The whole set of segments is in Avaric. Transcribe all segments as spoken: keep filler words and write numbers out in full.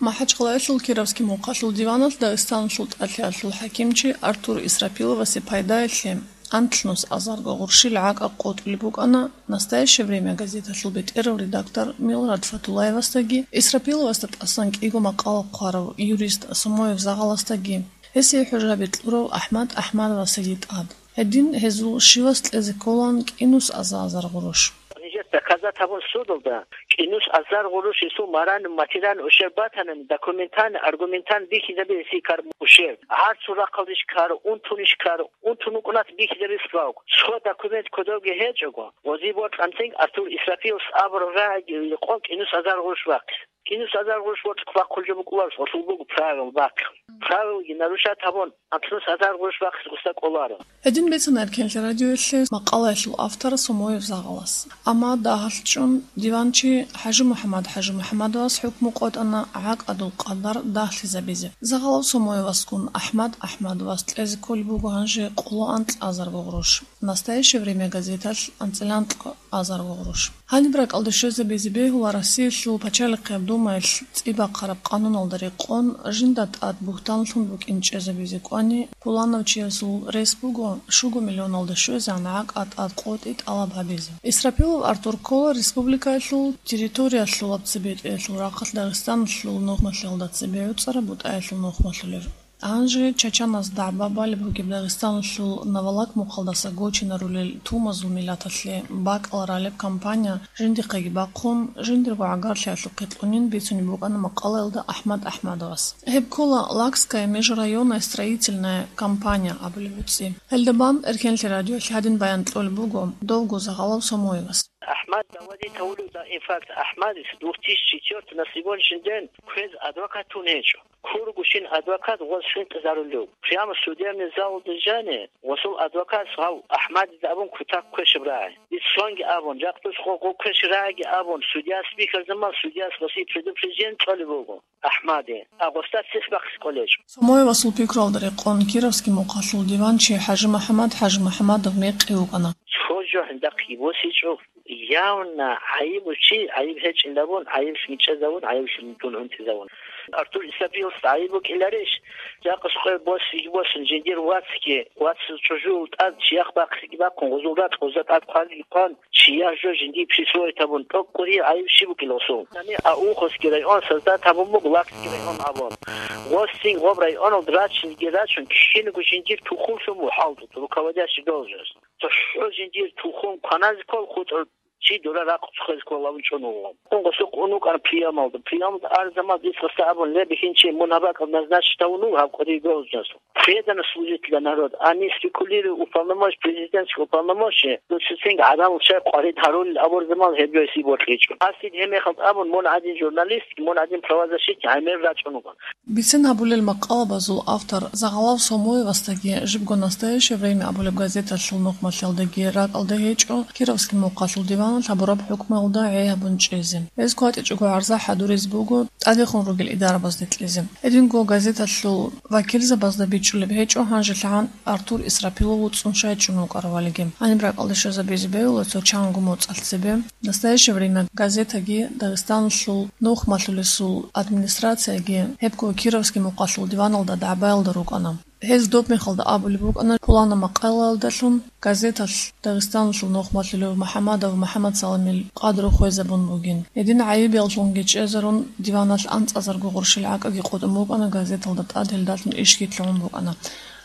МахӀачхъалаялъул Кировский мухъалъул диваналъ Дагъистаналъул тӀалъиялъул хӀакимчи Артур Исрапиловасе пайдаялъе анлънус азарго гъурщил гӀакӀа къотӀулеб букӀана «Настоящее время» газеталъул бетӀерав редактор Милрат Фатуллаевасдаги, Исрапиловасда тӀасан кӀиго макъала хъварав юрист Сомоев Загъаласдаги, гьесие хӀужаби кьурав АхӀмад АхӀмадовасаги тӀад. Гьедин гьезул щивас кьезе кколаан кӀинус азар гъурущ. Нижер доказать гьабун судалда, кӀинус азар гъурущ гьесул морально-материальный ущерб батанани, документально, аргументально бихьизабе гьесие ккараб ущерб. ГӀарцул рахъалдищ ккара, унтунищ ккара, унтун вукӀунат бихьизабе справка. Цо документ кодовги гьечӀого, гъозие бокьанцин Артур Исрапиловас абураб рагӀиги рекъон кӀинус азар гъурущ бахъи. КӀинус азар гъурущ бокьухъ бахъулеб букӀуларищ, гъосул буго правил бахъи. Правилги нарушать гьабун, анлънус азар гъурущ бахъизе гъосда кӀоларо. Гьедин бицана Эркенлъи радиоялъе макъалаялъул автор Сомоев Загъалас. Амма дагьалъ чӀун диванчи ХӀажимухӀаммад ХӀажимухӀаммадовас хӀукму къотӀана гӀакӀадул къадар дагьлъизабизе. Загъалав Сомоевасгун АхӀмад АхӀмадовас кьезе кколеб буго гьанже къоло анкьазарго гъурущ. «Настоящее время» газеталъ анцӀила анкьго азарго гъурущ. Гьаниб ракӀалде щвезабизе бегьула Россиялъул Пачалихъияб Думаялъ цӀиб бахъараб къануналда рекъон, жинда тӀад бугьтанлъун букӀин чӀезабизе кӀвани, пуланав чиясул рес буго щуго миллионалда щвезегӀан гӀакӀа тӀад къотӀи тӀалаб гьабизе. Исрапилов Артур ккола республикаялъул территориялъулаб цебетӀеялъул рахъалъ Дагъистаналъул нухмалъиялда цебе гӀуцӀараб БутӀаялъул нухмалъулев. Гьанже чачаназ дагӀба балеб бугеб Дагъистаналъул Навалак мухъалдаса гочинарулел тумазул миллаталъе бакӀал ралеб кампания жиндихъеги бахъун, жиндирго гӀагарлъиялъухъе кьунин бицунеб букӀана макъалаялда АхӀмад АхӀмадовас. Гьеб ккола «Лакская межрайонная строительная кампания» абулеб гьуцӀи. Гьелда бан Эркенлъи радиоялъ гьадин баян кьолеб буго довго Загъалав Сомоевас. АхӀмад, давади тавулев да, инфаркт. АхӀмадис две тысячи четвёртый на сегодняшний день квез адвокат тун гьечӀо. Кургущин адвокат гъос хинкъизарулев. Прямо судебный залалда жани гъосул адвокатас гьав АхӀмадида абун кутак квешаб рагӀи. Иццонги абун, жакъдус гъо-, гъо квешаб рагӀиги абун, судьяс бихьарзаман судьяс гъосие предупреждение кьолеб буго АхӀмаде, а гъосда цихъ бахъизе кӀолечӀо. Сомоевасул пикруялда рекъон Кировский мухъалъул диванчи ХӀажимухӀаммад ХӀажимухӀаммадов мекъи вукӀана. Цо жо гьиндахъги босичӀо, явно гӀайиб чи, гӀайиб гьечӀин абун, гӀайиб мичӀезавун, гӀайиб дун гӀунтӀизавун. Артур Исрапиловас гӀайиб букӀиларищ? Жакъа къоялъ босиги босун, жиндир вацги, вацал чӀужуялда тӀад чияхъ бахъиги бахъун, гъозул ракь гъозда тӀад хъваги хъван, чияр жо жиндие присвоить гьабун, тӀокӀкӀури гӀайиб щиб букӀила гъосул? Гьаниб Ауховский район создать гьабун буго, Лакский район абун. Гъосин гъоб районалда рачинги рачун, кицинаго жиндир тухумлъун вугьалда, руководящий должность. ЦохӀо жиндир тухум кваназе ккол хутӀун, чи дора ракъ цохизе кколавун чӀун вуго. Гъосухъ ун вукӀана приемалда. Приемалда арзамал дицаста абун, ле, бихьинчи, мун гьаб бакӀал назначить гьавун вуго гьаб кӀудияб должносталъ. Преданно служить для народа, а не спекулировать уполномоченный, президентский уполномоченный, ну, цинги гӀадамал щай къварид гьарулел абурзаман гьеб жо гьесие бокьичӀо. Гьасие гьеб мехалда абун, мун гӀадин журналист, мун гӀадин правозащитник гӀемер рачӀун вугоан. Бицен гьабулел макъалабазул автор Загъалав Сомоевасдаги жибго «Настоящее время» абулеб газеталъул нухмалъиялдаги ракӀалда гьечӀо Кировский мухъалъул диваналъ гьабураб хӀукмуялда гӀей гьабун чӀезе. Гьез кватӀичӀого гӀарза хӀадуризе буго тӀадехун ругел идарабазде кьезе. Гьединго газеталъул вакилзабазда бичӀчӀулеб гьечӀо гьанжелъагӀан Артур Исрапилов вуцӀцӀун щай чӀун вукӀаравалиги. Гьаниб ракӀалде щвезабизе бегьула цо чанго моцӀалъ цебе. «Настоящее время» газетаги Дагъистаналъул нухмалъулесул администрацияги гьебго Кировский мухъалъул диваналда дагӀбаялда рукӀана. Гьез доб мехалда абулеб букӀана, пуланаб макъалаялдалъун газеталъ Дагъистаналъул нухмалъулев МухӀамадов МухӀамадсаламил къадру хвезабун бугин. Гьедин гӀайибияллъунги чӀезарун, диваналъ анцӀазарго гъурщил гӀакӀаги къотӀун букӀана газеталда тӀад, гьелдалъун ишги лъугӀун букӀана.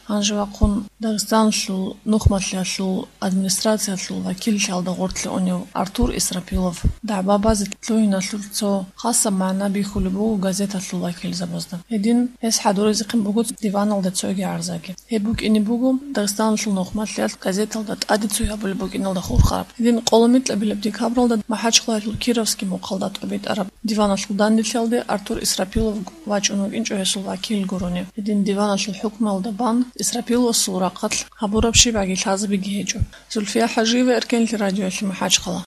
Гьанже вахъун Дагъистаналъул нухмалъиялъул администрациялъул вакиллъиялда гъорлъе унев Артур Исрапилов дагӀба базе лъугьиналъул цо хасаб магӀна бихьулеб буго газеталъул вакилзабазда. Гьедин гьес хӀадуризехъин буго диваналда цоги гӀарзаги. Гьеб букӀине буго Дагъистаналъул нухмалъиялъ газеталда тӀаде цой гьабулеб букӀиналда хурхараб. Гьедин къоло микьабилеб декабралда МахӀачхъалаялъул Кировский мухъалда тӀобитӀараб диваналъул данделъиялде Артур Исрапилов вачӀун вукӀинчӀо гьесул вакил гурони. Гьедин диваналъул хӀукмуялда бан Исрапиловасул рахъалъ гьабураб щибгӀаги лъазабиги гьечӀо. Зульфия ХӀажиева, Эркенлъи радиоялъе, МахӀачхъала.